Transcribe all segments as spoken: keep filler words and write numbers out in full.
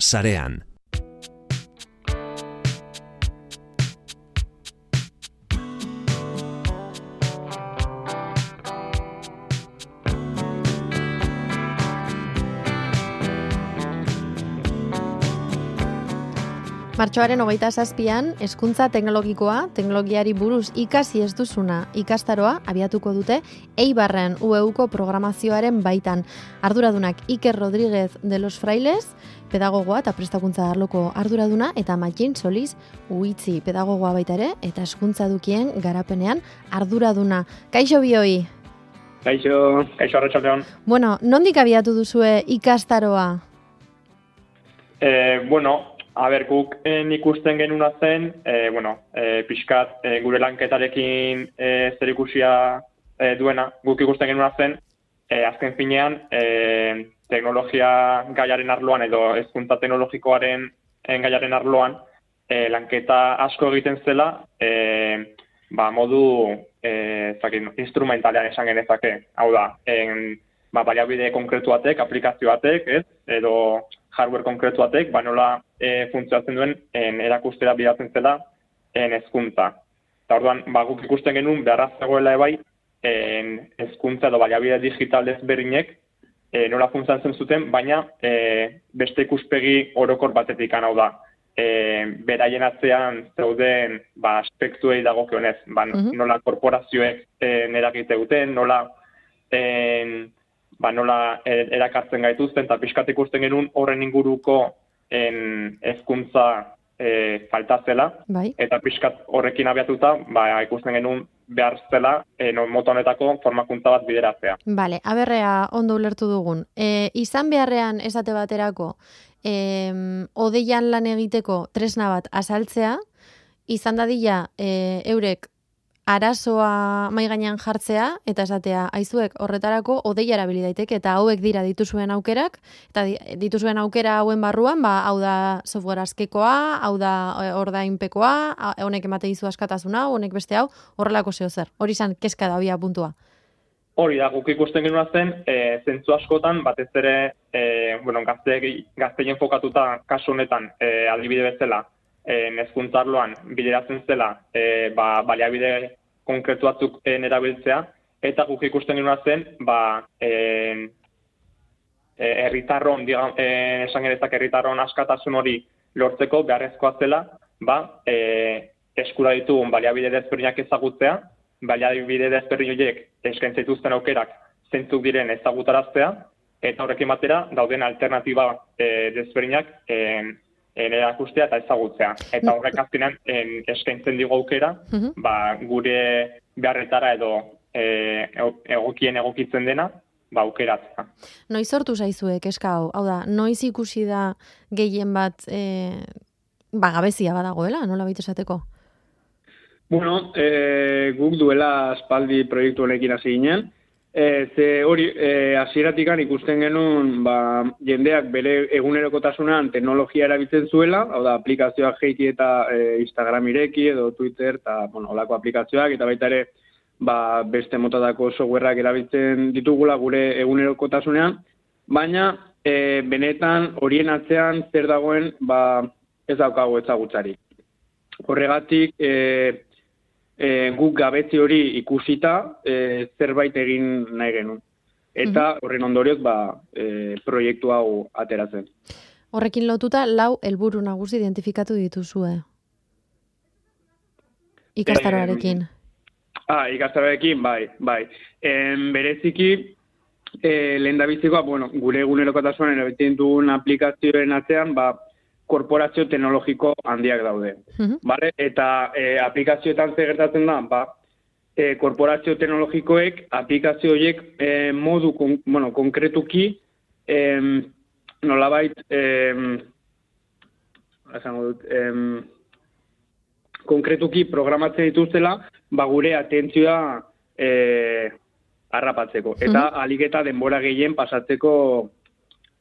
sarean. Martxoaren hogeita zazpian, hezkuntza teknologikoa, teknologiari buruz ikasi ez duzuna ikastaroa abiatuko dute Eibarren U E Uko programazioaren baitan. Arduradunak Iker Rodríguez de los Frailes, pedagogoa eta prestakuntza arloko arduraduna, eta Matxin Soliz Uitzi, pedagogoa baita ere, eta hezkuntza edukien garapenean arduraduna. Kaixo bioi? Kaixo, kaixo arratsaldeon. Bueno, nondik abiatu duzue ikastaroa? Eh, bueno, A ber, guk en ikusten genuna zen, e, bueno, e, pixkat e, gure lanketarekin e, zer ikusia e, duena, guk ikusten genuna zen, e, azken finean, e, teknologia gaiaren arloan edo hezkuntza teknologikoaren gaiaren arloan, e, lanketa asko egiten zela, e, ba, modu e, zakin, instrumentalean esan genezake. Hau da, en, ba, baliabide konkretu batek, aplikazio batek, ez, edo hardware konkretu batek, ba nola e, funtzionatzen duen en, erakustera bidatzen zela en hezkuntza. Eta orduan, ba, guk ikusten genuen beharra zegoela ebai en hezkuntza edo baliabide digital ezberdinek e, nola funtzionatzen zuten, baina e, beste ikuspegi orokor batetik hau da. E, beraien atzean zeuden ba, aspektuei dagokionez, ba, uh-huh. nola korporazioek e, eragite duten, nola en, ba, nola erakartzen gaituzten, eta pixkat ikusten genuen horren inguruko en, hezkuntza e, falta zela, bai. Eta pixkat horrekin abiatuta ba, ikusten genuen behar zela e, no, mota honetako formakuntza bat bideratzea. Bale, aberrea ondo ulertu dugun. E, izan beharrean esate baterako, e, odeian lan egiteko tresna bat azaltzea, izan dadila e, eurek arazoa mai gainean jartzea eta esatea aizuek horretarako odeia erabili daiteke eta hauek dira dituzuen aukerak eta dituzuen aukera hauen barruan ba hau da software askekoa, hau da ordainpekoa, honek emate dizu askatasuna, honek beste hau, horrelako zeo zer. Hori izan kezka da abia puntua. Hori da, guk ikusten genuen zen, e, zentzu askotan, batez ere, e, bueno, gazte, gazteien fokatuta kasu honetan, e, adibide bezala, hezkuntza arloan bideratzen zela e, ba, baliabide konkretu batzuk erabiltzea, eta guk ikusten genuen zen, ba, e, e, herritarron, digam, e, esan gerezak herritarron askatasun hori lortzeko beharrezkoa zela, ba, e, eskura ditugun baliabide desberdinak ezagutzea, baliabide desberdin horiek eskaintza dituzten aukerak zeintzuk diren ezagutaraztea, eta horrekin batera dauden alternatiba e, desberdinak e, erakustea eta ezagutzea. Eta horrek azkenean eskaintzen digu aukera, uh-huh. ba, gure beharretara edo e, egokien egokitzen dena, ba, aukeratzea. Noiz sortu zaizuek eska hau? Hau da, noiz ikusi da gehien bat e, ba, gabezia badagoela, nola baita esateko? Bueno, e, guk duela aspaldi proiektu honekin hasi ginen, E, ze hori, e, hasieratikan ikusten genuen ba, jendeak bere egunerokotasunan teknologia erabiltzen zuela, hau da, aplikazioak jeiki eta e, Instagram ireki edo Twitter, eta bueno, olako aplikazioak, eta baita ere ba, beste motatako softwareak erabiltzen ditugula gure egunerokotasunean, baina e, benetan horien atzean zer dagoen ba, ez daukago ezagutzarik. Horregatik, e, E, guk gabetzi hori ikusita e, zerbait egin nahi genuen. Eta horren ondorioz ba, e, proiektu hau ateratzen. Horrekin lotuta lau helburu nagusi identifikatu dituzue. Ikastaroarekin. E, ah, ikastaroarekin, bai, bai. E, bereziki, e, lehendabizikoa, bueno, gure egunerokotasunean erabiltzen dugun aplikazioen atzean, ba, korporazio teknologiko handiak daude. Uh-huh. Vale? Eta e, aplikazioetan zer gertatzen da, ba, e, korporazio teknologikoek aplikazio horiek e, modu kon, bueno, konkretuki e, nolabait e, esango dut, e, konkretuki programatzen dituztela ba, gure atentzioa e, harrapatzeko. Eta uh-huh. alik eta denbora gehien pasatzeko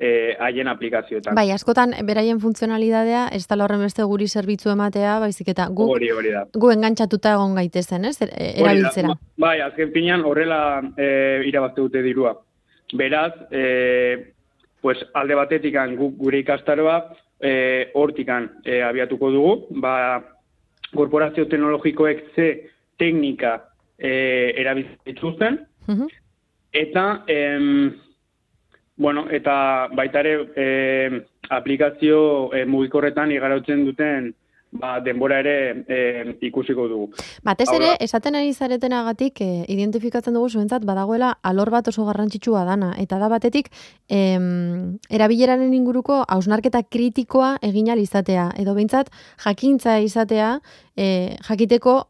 Eh, haien aplikazioetan. Bai, askotan beraien funtzionalidadea ez da horren beste guri zerbitzu ematea, baizik eta gu, hori, hori da. gu engantzatuta egon gaitezen, ez? Erabiltzera. Bai, azken finean horrela e, irabazte dute dirua. Beraz, e, pues, alde batetik guk gure ikastaroa e, hortikan e, abiatuko dugu, ba, korporazio teknologikoek ze teknika e, erabiltzen dituzten, Mhm. eta em, bueno, eta baita ere em, aplikazio e, mugikorretan igarotzen duten ba, denbora ere e, ikusiko dugu. Batez Hau ere, da. esaten ari zaretenagatik e, identifikatzen dugu zuentzat badagoela alor bat oso garrantzitsua dana. Eta da batetik, em, erabileraren inguruko hausnarketa kritikoa egin ahal izatea. Edo behintzat, jakintza izatea, e, jakiteko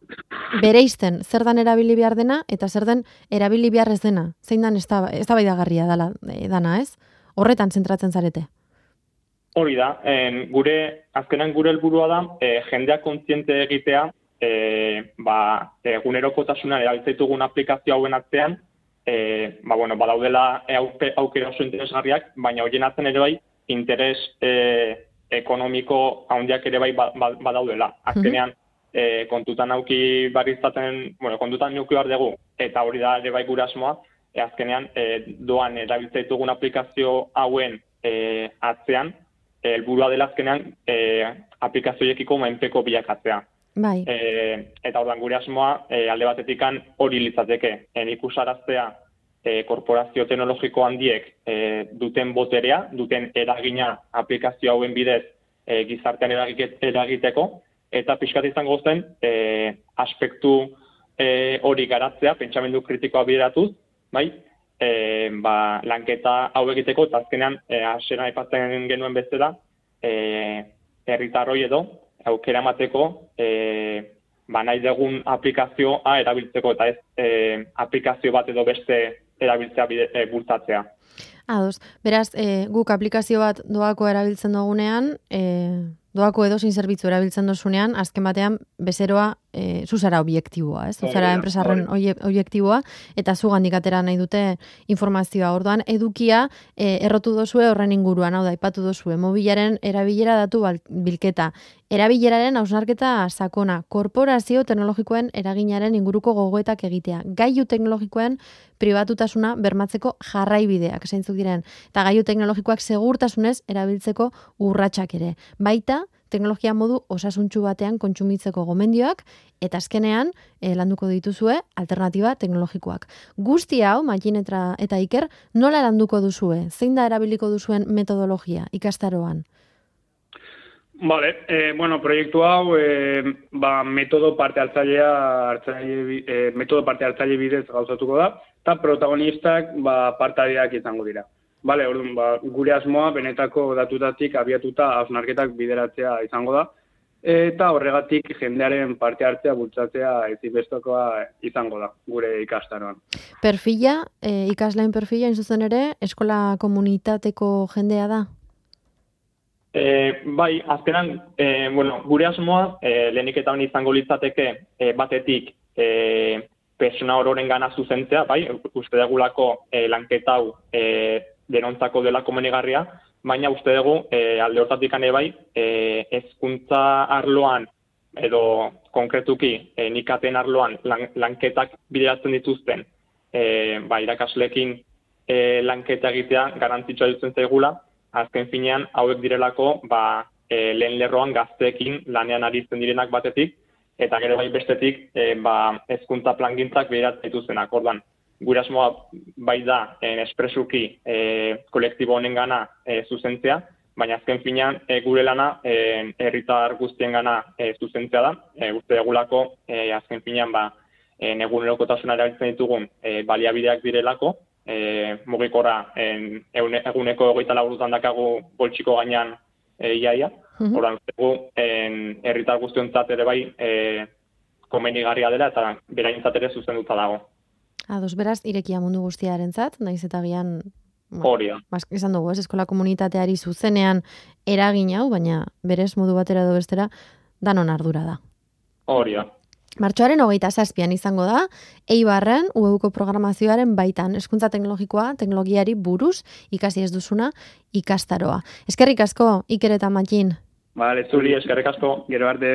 bereizten zer dan erabili behar dena eta zer den erabili behar ez dena. Zein dan eztabaidagarria dala, e, dana, ez? Horretan zentratzen zarete. Hori da, en, gure, azkenan gure helburua da, e, jendeak kontziente egitea, e, ba, egunerokotasunan erabiltzaitugun aplikazio hauen atzean, e, ba, bueno, badaudela e, auke, aukera oso interesgarriak, baina horien atzen ere bai, interes e, ekonomiko handiak ere bai ba, ba, badaudela. Azkenean, e, kontutan auki barriztaten, bueno, kontutan neuki behar dugu, eta hori da ere bai gure asmoa, e, azkenean, e, doan erabiltzaitugun aplikazio hauen e, atzean, helburua dela azkenean e, aplikazioiekiko menpeko bilakatzea. Bai. E, eta ordan gure asmoa e, alde batetikan hori litzateke. En ikusaraztea e, korporazio teknologiko handiek e, duten boterea, duten eragina aplikazio hauen bidez e, gizartean eragiteko, eta pixkat izango zen e, aspektu e, hori garatzea, pentsamendu kritikoa bideratuz, bai? E, ba, lanketa hau egiteko, eta azkenean, e, hasieran aipatzen genuen bezala, e, herritarroi edo, aukera emateko, e, ba, nahi dugun aplikazioa erabiltzeko, eta ez e, aplikazio bat edo beste erabiltzea bide, e, bultzatzea. Ados, beraz, e, guk aplikazio bat doako erabiltzen dugunean, e, doako edozein zerbitzu erabiltzen dozunean, azken batean bezeroa e, zuzara objektiboa, ez? Zuzara enpresarren objektiboa, eta zugandik atera nahi dute informazioa. Orduan, edukia e, errotu dozue horren inguruan, hau da, ipatu dozue, mobilaren erabilera datu bilketa, erabileraren hausnarketa sakona, korporazio teknologikoen eraginaren inguruko gogoetak egitea, gailu teknologikoen pribatutasuna bermatzeko jarraibideak, zeintzuk diren, eta gailu teknologikoak segurtasunez erabiltzeko urratsak ere. Baita, teknologia modu osasuntsu batean kontsumitzeko gomendioak, eta azkenean eh, landuko dituzue alternatiba teknologikoak. Guzti hau, Matxin eta, eta Iker, nola landuko duzue? Zein da erabiliko duzuen metodologia ikastaroan? Vale, eh, bueno, proiektu hau eh, ba, metodo parte hartzailea hartzaile, eh, metodo parte hartzaile bidez gauzatuko da, eta protagonistak ba, partaideak izango dira. Vale, orduan, ba, gure asmoa benetako datutatik abiatuta hausnarketak bideratzea izango da, eta horregatik jendearen parte hartzea bultzatzea ezinbestekoa izango da gure ikastaroan. Perfila, eh, ikasleen perfila, zuzen ere, eskola komunitateko jendea da? E, bai, azkenan, e, bueno, gure asmoa, e, lehenik eta honi izango litzateke e, batetik e, persona ororen gana zuzentzea, bai, uste degulako e, lanketa hau e, denontzako dela komenigarria, baina uste dugu e, alde hortatik ane bai, e, hezkuntza arloan edo konkretuki e, nikaten arloan lan, lanketak bideratzen dituzten e, ba, irakaslekin e, lanketa egitea garantzitsua dutzen zaigula. Azken finean, hauek direlako, ba, e, lehen lerroan gazteekin lanean aritzen direnak batetik, eta gero bai bestetik, e, ba, hezkuntza plangintzak bideratzen dituztenak. Ordan, gure asmoa bai da, en espresuki e, kolektibo honen gana e, zuzentzea, baina azken finean, e, gure lana e, herritar guztien gana e, zuzentzea da. E, uste degulako, e, azken finean, ba, e, egunerokotasuna erabiltzen ditugun e, baliabideak direlako, E, mugikorra en, eune, eguneko egoita laburutan dakagu boltsiko gainean e, iaia. Mm-hmm. Horan, herritar guztiontzat ere bai e, komenigarria dela eta beraintzat ere zuzenduta dago. Ados, beraz, irekia mundu guztiarentzat, naiz eta gian hori da. Ba, esan dugu, ez, eskola komunitateari zuzenean eragin hau, baina berez modu batera edo bestera danon ardura da. Hori da. Martxoaren hogeita zazpian izango da, Eibarren U E Uko programazioaren baitan, hezkuntza teknologikoa, teknologiari buruz, ikasi ez duzuna, ikastaroa. Eskerrik asko, Iker eta Matxin. Vale, zuri, eskerrik asko, gero arte.